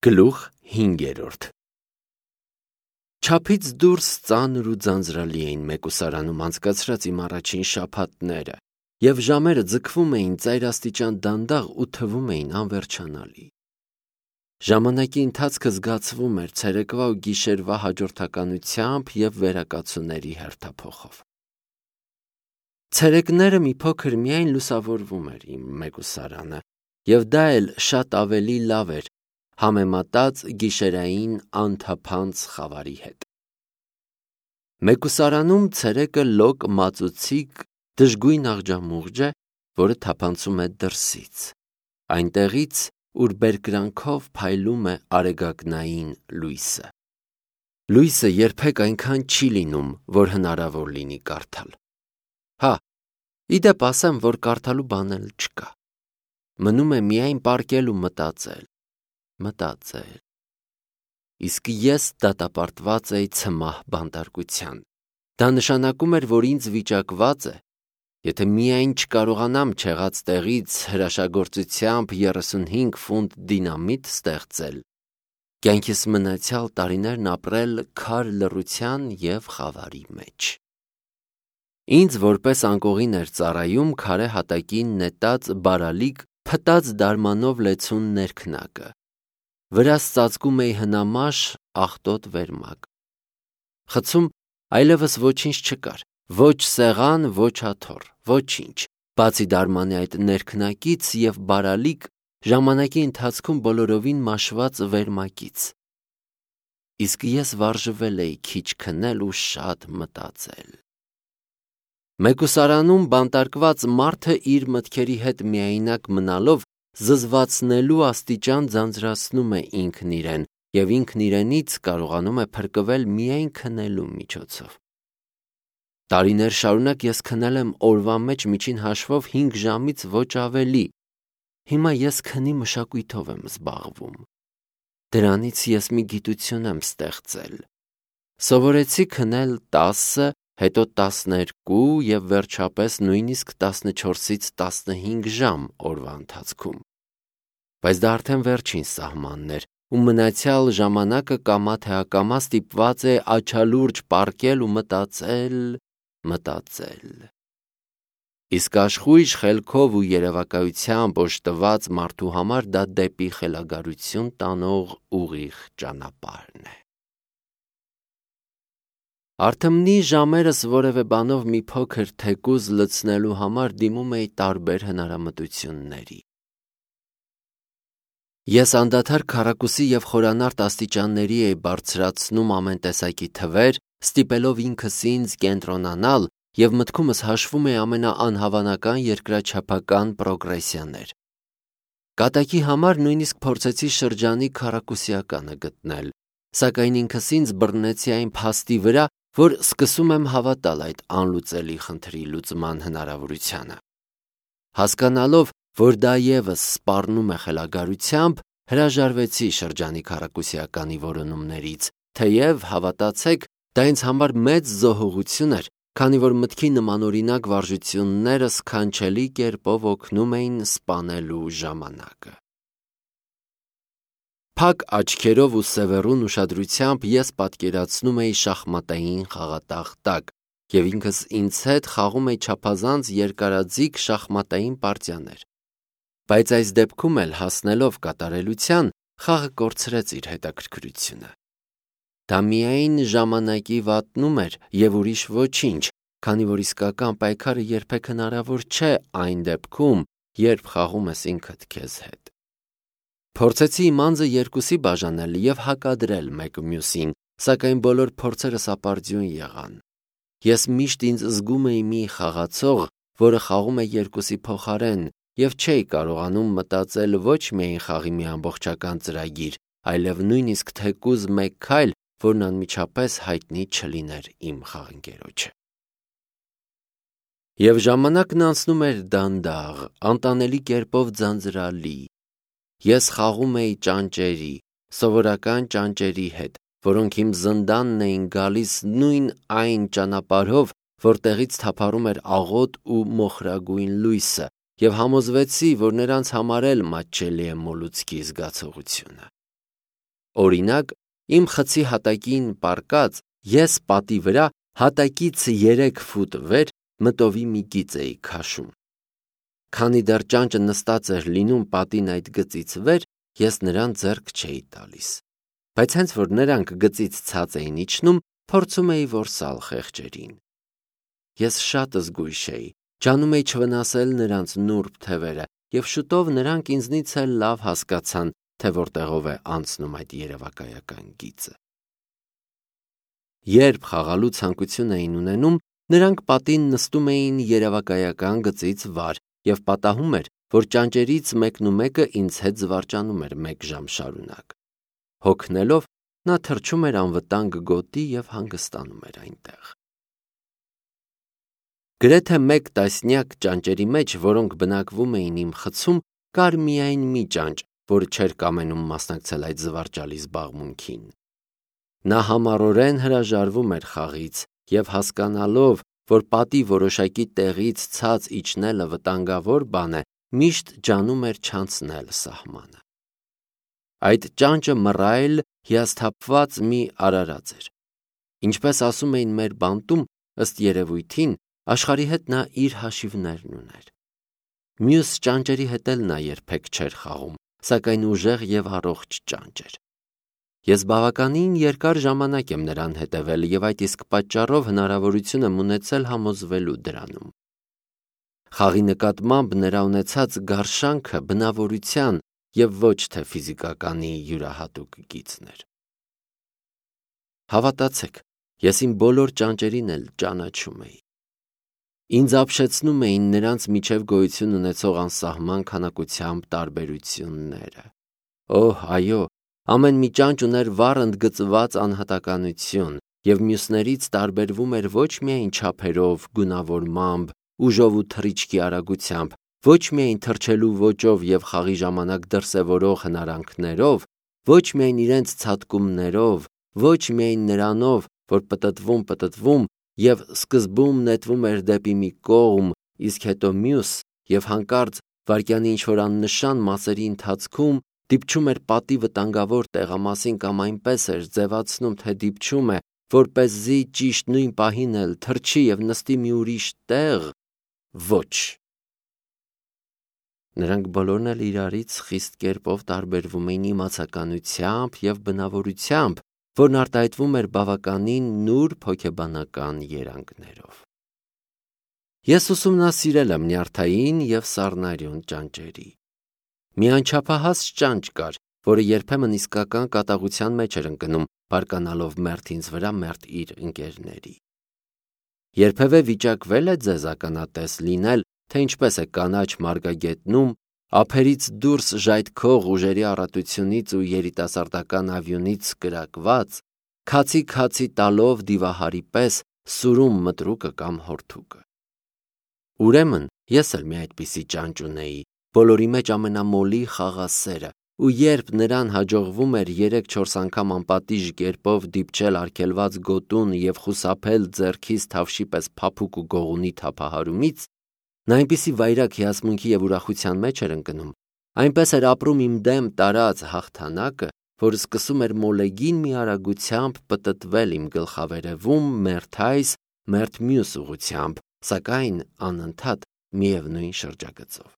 Գլուխ 5. Չափից դուրս ծանր ու ձանձրալի էին մեկուսարանում անցկացրած իմ առաջին շաբաթները, և ժամերը ձգվում էին ծայրաստիճան դանդաղ ու թվում էին անվերջանալի։ Ժամանակի ընթացքը զգացվում էր ցերեկվա ու գիշերվա հաջորդականությամբ և վերակացուների հերթափոխով։ Ցերեկները մի փոքր միայն լուսավորվում էր իմ մեկուսարանը, և դա էլ շատ ավելի լավ էր, համեմատած գիշերային անթափանց խավարի հետ։ Մեկուսարանում ցերեկը լոկ մածուցիկ դժգույն աղջամուղջ է, որը թափանցում է դրսից, այնտեղից, ուր բերկրանքով փայլում է արեգակնային լույսը։ Լույսը երբեք այնքան չի լինում, որ հնարավոր լինի կարդալ։ Ի դեպ ասեմ, որ կարդալու բան էլ չկա։ Մնում է միայն պառկել ու մտածել։ Իսկ ես դատապարտված էի ցմահ բանտարկության։ Դա նշանակում էր, որ ինձ վիճակված է, եթե միայն չկարողանամ չեղած տեղից հրաշագործությամբ 35 ֆունտ դինամիտ ստեղծել, կյանքիս մնացյալ տարիներն ապրել քար լռության և խավարի մեջ։ Ինձ որպես անկողին էր ծառայում քարե հատակին նետած բարալիկ փտած դարմանով լեցուն ներքնակը, վրաս ծածկում էի հնամաշ աղտոտ վերմակ։ Խցում այլևս ոչինչ չկար, ոչ սեղան, ոչ աթոռ, ոչինչ, բացի դարմանի այդ ներքնակից և բարալիկ ժամանակի ընթացքում բոլորովին մաշված վերմակից։ Իսկ ես վարժվել էի քիչ քնել ու շատ մտածել։ Մեկուսարանում բանտարկված մարդը իր մտքերի հետ միայնակ մնալով զզվացնելու աստիճան ձանձրացնում է ինքն իրեն և ինքն իրենից կարողանում է փրկվել միայն քնելու միջոցով։ Տարիներ շարունակ ես քնել եմ օրվա մեջ միջին հաշվով 5 ժամից ոչ ավելի։ Հիմա ես քնի մշակույթով եմ զբաղվում։ Դրանից ես մի գիտություն եմ ստեղծել։ Սովորեցի քնել 10, հետո 12 և վերջապես նույնիսկ 14-ից 15 ժամ օրվա ընթացքում։ Բայց դա արդեն վերջին սահմանն էր, ու մնացյալ ժամանակը կամա թե ակամա ստիպված է աչալուրջ պառկել ու մտածել։ Իսկ աշխույժ խելքով ու երևակայությամբ օժտված մարդու համար դա դեպի խելագարություն տանող ուղիղ ճանապարհն է։ Արթմնի ժամերս որևէ բանով մի փոքր թեկուզ լցնելու համար դիմում էի տարբեր հնարամտությունների։ Ես անդադար քառակուսի և խորանարդ աստիճանների էի բարձրացնում ամեն տեսակի թվեր, ստիպելով ինքս ինձ կենտրոնանալ և մտքումս հաշվում էի ամենաանհավանական երկրաչափական պրոգրեսիաներ։ Կատակի համար նույնիսկ փորձեցի շրջանի քառակուսիականը գտնել, սակայն ինքս ինձ բռնեցի այն փաստի վրա, որ սկսում եմ հավատալ այդ անլուծելի խնդրի լուծման հնարավորությանը։ Հասկանալով, որ դա ևս սպառնում է խելագարությամբ, հրաժարվեցի շրջանի քառակուսիականի որոնումներից, թեև, հավատացեք, դա ինձ համար մեծ զոհողություն էր, քանի որ մտքի նմանօրինակ վարժությունները սքանչելի կերպով օգնում էին սպանելու ժամանակը։ Փակ աչքերով ու սևեռուն ուշադրությամբ ես պատկերացնում էի շախմատային խաղատախտակ և ինքս ինձ հետ խաղում էի չափազանց երկարաձիգ շախմատային պարտիաներ։ Բայց այս դեպքում էլ հասնելով կատարելության, խաղը կորցրեց իր հետաքրքրությունը։ Դա միայն ժամանակի վատնում էր և ուրիշ ոչինչ, քանի որ իսկական պայքարը երբեք հնարավոր չէ այն դեպքում, երբ խաղում ես ինքդ քեզ հետ։ Փորձեցի իմ անձը երկուսի բաժանել և հակադրել մեկը մյուսին, սակայն բոլոր փորձերս ապարդյուն եղան։ Ես միշտ ինձ զգում էի մի խաղացող, որը խաղում է երկուսի փոխարեն, և չէի կարողանում մտածել ոչ միայն խաղի մի ամբողջական ծրագիր, այլև նույնիսկ թեկուզ մեկ քայլ, որն անմիջապես հայտնի չլիներ իմ խաղընկերոջը։ Եվ ժամանակն անցնում էր դանդաղ, անտանելի կերպով ձանձրալի։ Ես խաղում էի ճանճերի, սովորական ճանճերի հետ, որոնք իմ զնդանն էին գալիս նույն այն ճանապարհով, որտեղից թափառում էր աղոտ ու մոխրագույն լույսը, և համոզվեցի, որ նրանց համար էլ մատչելի է մոլուցքի զգացողությունը։ Օրինակ, իմ խցի հատակին պառկած ես պատի վրա հատակից 3 ֆուտ վեր մտովի մի գիծ էի քաշում։ Քանի դեռ ճանճը նստած էր լինում պատին այդ գծից վեր, ես նրան ձեռք չէի տալիս։ Բայց հենց որ նրանք գծից ցած էին իջնում, փորձում էի որսալ խեղճերին։ Ես շատ զգույշ էի, ջանում էի չվնասել նրանց նուրբ թևերը, եւ շուտով նրանք ինձնից էլ լավ հասկացան, թե որտեղով է անցնում այդ երևակայական գիծը։ Երբ խաղալու ցանկություն էին ունենում, նրանք պատին նստում էին երևակայական գծից վար եւ պատահում էր, որ ճանճերից մեկը ինձ հետ զվարճանում էր 1 ժամ շարունակ։ Հոգնելով, նա թռչում էր անվտանգ գոտի եւ հանգստանում էր այնտեղ։ Գրեթե 1 տասնյակ ճանճերի մեջ, որոնք բնակվում էին իմ խցում, կար միայն մի ճանճ, որը չէր կամենում մասնակցել այդ զվարճալի զբաղմունքին։ Նա համառորեն հրաժարվում էր խաղից եւ հասկանալով, որ պատի որոշակի տեղից ցած իջնելը վտանգավոր բան է, միշտ ջանում էր չանցնել սահմանը։ Այդ ճանճը մռայլ, հիասթափված մի արարած էր։ Ինչպես ասում էին մեր բանտում, ըստ երևույթին, աշխարհի հետ նա իր հաշիվներն ուներ։ Մյուս ճանճերի հետ էլ նա երբեք չէր խաղում, սակայն ուժեղ եւ առողջ ճանճ էր։ Ես բավականին երկար ժամանակ եմ նրան հետևել եւ այդ իսկ պատճառով հնարավորություն եմ ունեցել համոզվելու դրանում։ Խաղի նկատմամբ նրա ունեցած գարշանքը բնավորության եւ ոչ թե ֆիզիկականի յուրահատուկ գիծն էր։ Հավատացեք, ես իմ բոլոր ճանճերին էլ ճանաչում էի։ Ինձ ապշեցնում էին նրանց միջև գոյություն ունեցող անսահման քանակությամբ տարբերությունները։ Օհ, այո, ամեն մի ճանճ ուներ վառ ընդգծված անհատականություն եւ մյուսներից տարբերվում էր ոչ միայն չափերով, գունավորմամբ, ուժով ու թռիչքի արագությամբ, ոչ միայն թռչելու ոճով եւ խաղի ժամանակ դրսևորող հնարանքներով, ոչ միայն իրենց ցատկումներով, ոչ միայն նրանով, որ պտտվում եւ սկզբում նետվում էր դեպի մի կողմ, իսկ հետո մյուս, եւ հանկարծ վայրկյանի ինչ-որ աննշան մասերի ընթացքում դիպչում էր պատի վտանգավոր տեղամասին կամ այնպես էր ձևացնում, թե դիպչում է, որպեսզի ճիշտ նույն պահին էլ թռչի եւ նստի մի ուրիշ տեղ, ոչ։ Նրանք բոլորն էլ իրարից խիստ կերպով տարբերվում էին իմացականությամբ եւ բնավորությամբ, որն արտահայտվում էր բավականին նուրբ հոգեբանական երանգներով։ Ես ուսումնասիրել եմ նյարդային եւ սառնարյուն ճանճերի։ Մի անչափահաս ճանճ կար, որը երբեմն իսկական կատաղության մեջ էր ընկնում, բարկանալով մերթ ինձ վրա, մերթ իր ընկերների։ Երբևէ վիճակվել է ձեզ ականատես լինել, թե ինչպես է կանաչ մարգագետնում, ափերից դուրս ժայթքող ուժերի առատությունից ու երիտասարդական ավյունից կրակված, քացի տալով դիվահարի պես սուրում մտրուկը կամ հորթուկը։ Ուրեմն ես էլ մի այդպիսի ճանճ ունեի, բոլորի մեջ ամենամոլի խաղասերը, ու երբ նրան հաջողվում էր 3-4 անգամ անպատիժ կերպով դիպչել արգելված գոտուն եւ խուսափել ձեռքից թավշի պես փափուկ ու գողունի թափահարումից, նա այնպիսի վայրագ հիացմունքի եւ ուրախության մեջ էր ընկնում, այնպես էր ապրում իմ դեմ տարած հաղթանակը, որ սկսում էր մոլեգին մի արագությամբ պտտվել իմ գլխավերևում մերթ այս, մերթ մյուս ուղղությամբ, սակայն անընդհատ միևնույն շրջագծով։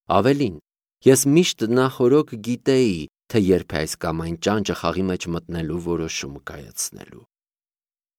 Ավելին, ես միշտ նախօրոք գիտեի, թե երբ է այս կամ այն ճանճը խաղի մեջ մտնելու որոշում կայացնելու։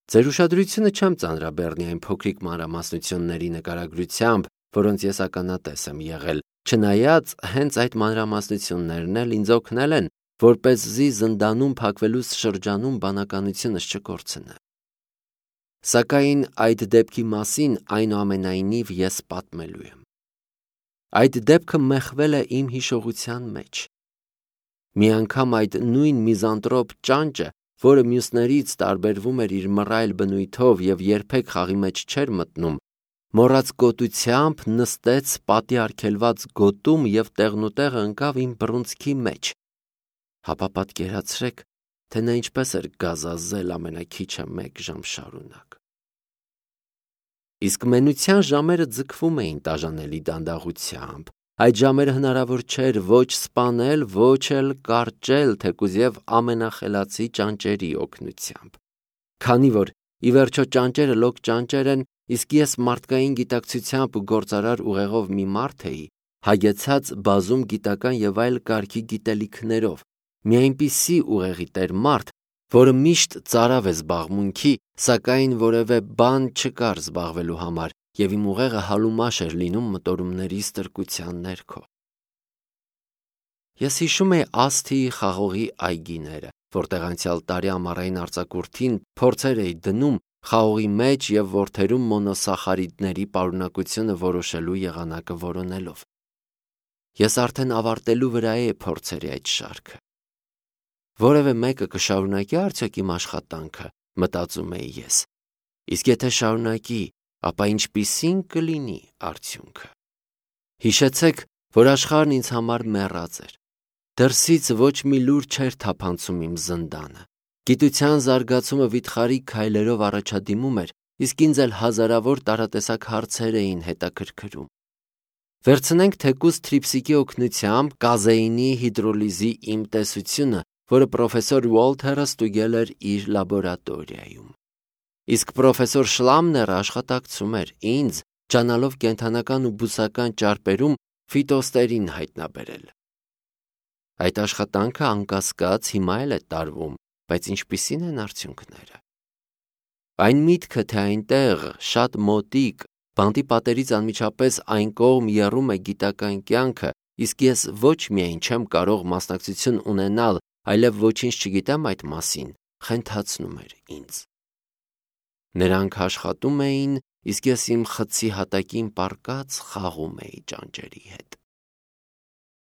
Ձեր ուշադրությունը չեմ ծանրաբեռնի այն փոքրիկ մանրամասնությունների նկարագրությամբ, որոնց ես ականատես եմ եղել, չնայած հենց այդ մանրամասնություններն էլ ինձ օգնել են, որպեսզի զնդանում փակվելուց շրջանում բանականությունս չկորցնեմ։ Սակայն այդ դեպքի մասին այնուամենայնիվ ես պատմելու եմ։ Այդ դեպքը մեխվել է իմ հիշողության մեջ։ Մի անգամ այդ նույն միզանտրոպ ճանճը, որը մյուսներից տարբերվում էր իր մռայլ բնույթով եւ երբեք խաղի մեջ չէր մտնում, մոռաց գոտությամբ նստեց պատի արգելված գոտում եւ տեղնուտեղը ընկավ իմ բռունցքի մեջ։ Հապա պատկերացրեք, թե նա ինչպես էր գազազել ամենաքիչը 1 ժամ շարունակ։ Իսկ մենության ժամերը ձգվում էին տաժանելի դանդաղությամբ, Այդ ժամերը հնարավոր չէր ոչ սպանել, ոչ էլ կարճել, թեկուզ եւ ամենախելացի ճանճերի օգնությամբ։ Քանի որ ի վերջո ճանճերը լոկ ճանճեր են, իսկ ես մարդկային գիտակցությամբ ու գործարար ուղեղով մի մարդ էի, հագեցած բազում գիտական եւ այլ կարգի գիտելիքներով, մի այնպիսի ուղեղի տեր մարդ, որը միշտ ծարավ է զբաղմունքի, սակայն որևէ բան չկար զբաղվելու համար, եւ իմ ուղեղը հալումաշ էր լինում մտորումների ստրկության ներքո։ Ես հիշում էի Ասթիի խաղողի այգիները, որտեղ անցյալ տարի ամառային արձակուրդին փորձեր էի դնում խաղողի մեջ եւ որդերում մոնոսախարիդների պարունակությունը որոշելու եղանակը որոնելով։ Ես արդեն ավարտելու վրա էի փորձերի այդ շարքը։ Որևէ մեկը կշարունակի արդյոք իմ աշխատանքը, մտածում էի ես։ Իսկ եթե շարունակի, ապա ինչպիսին կլինի արդյունքը։ Հիշեցեք, որ աշխարհն ինձ համար մեռած էր։ Դրսից ոչ մի լուր չէր թափանցում իմ զնդանը։ Գիտության զարգացումը վիթխարի քայլերով առաջադիմում էր, իսկ ինձ էլ հազարավոր տարատեսակ հարցեր էին հետաքրքրում։ Վերցնենք թեկուզ թրիփսիկի օգնությամբ կազեինի հիդրոլիզի իմ տեսությունը, որը պրոֆեսոր Ուոլթերը ստուգել էր իր լաբորատորիայում։ Իսկ պրոֆեսոր Շլամները աշխատակցում էր ինձ, ջանալով կենդանական ու բուսական ճարպերում ֆիտոստերին հայտնաբերել։ Այդ աշխատանքը անկասկած հիմա էլ է տարվում, բայց ինչպիսին են արդյունքները։ Այն միտքը, թե այնտեղ շատ մոտիկ, բանտի պատերից անմիջապես այն կողմ եռում է գիտական կյանքը, իսկ ես ոչ միայն չեմ կարող մասնակցություն ունենալ, այլև ոչինչ չգիտեմ այդ մասին, խենթացնում էր ինձ։ Նրանք աշխատում էին, իսկ ես իմ խցի հատակին պառկած խաղում էի ճանճերի հետ։